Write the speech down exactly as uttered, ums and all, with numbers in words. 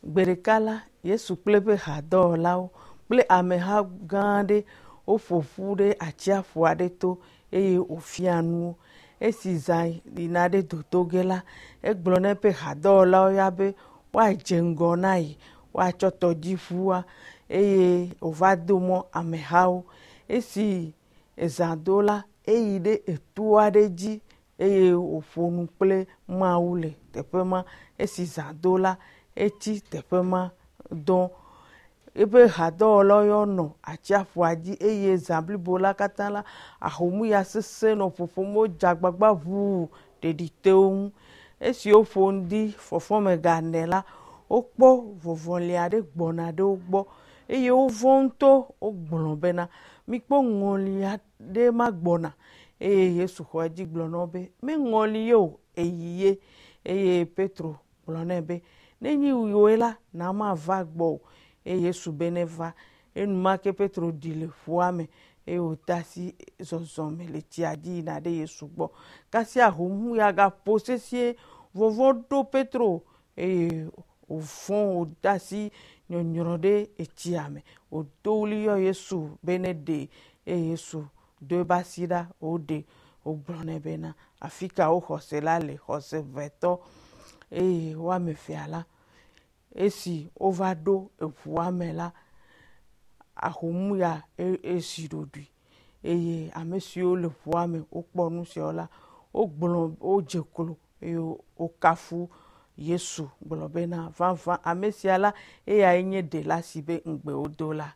Gbe ɖeka la, Yesu kple eƒe hadɔwɔlawo kple ameha gã aɖe woƒo ƒu ɖe atsiaƒu aɖe to eye wòfia nu wo. Esi zã yina ɖe dodo ge la, egblɔ na eƒe hadɔwɔlawo ya be woadze ŋgɔ na ye, woatsɔ tɔdziʋua eye wòva do mɔ amehawo. Esi ezã do la, eyi ɖe eto aɖe dzi eye wòƒo nu kple Mawu le teƒe ma. Esi zã do la, etsi teƒe ma dɔ. Eƒe hadɔwɔlawo ya nɔ atsiaƒua dzi eye zã blibo la katã la, ahomuya sesẽ nɔ ƒoƒom wodze agbagba ʋuu ɖeɖi te wo ŋu. Esi woƒo ŋdi fɔfɔme ga ene la, wokpɔ vɔvɔli aɖe gbɔna ɖe wo gbɔ eye wovɔ̃ ŋutɔ wogblɔ bena, mikpɔ ŋɔli aɖe ma gbɔna eye Yesu xɔ edzi gblɔ na wo be, meŋɔli ye o, eyi ye. Eye Petro gblɔ nɛ be, nenye wòe la, na mava gbɔwò. Eye Yesu be neva. Enumake Petro ɖi le ƒua me eye wòde asi zɔzɔme le tsia dzi yina ɖe Yesu gbɔ. Kasia ahomuya gaƒo sesĩe, vɔvɔ̃ ɖo Petro eye wòfɔ̃ wòde asi nyɔnyrɔ ɖe etsia me. Wòdo ɣli yɔ Yesu be neɖee eye Yesu do eƒe asi ɖa wòɖee. Wògblɔ nɛ bena, afi ka wò xɔse la le, xɔse ʋɛtɔ. Eye wo ame evea la, esi wova ɖo eʋua me la, ahomuya esi ɖoɖoe eye ame siwo le ʋua me wokpɔ nu siawo la, wogblɔ wodze klo eye wokafu Yesu gblɔ bena, vavã ame sia la, eyae nye ɖela si be ŋugbe wodo la.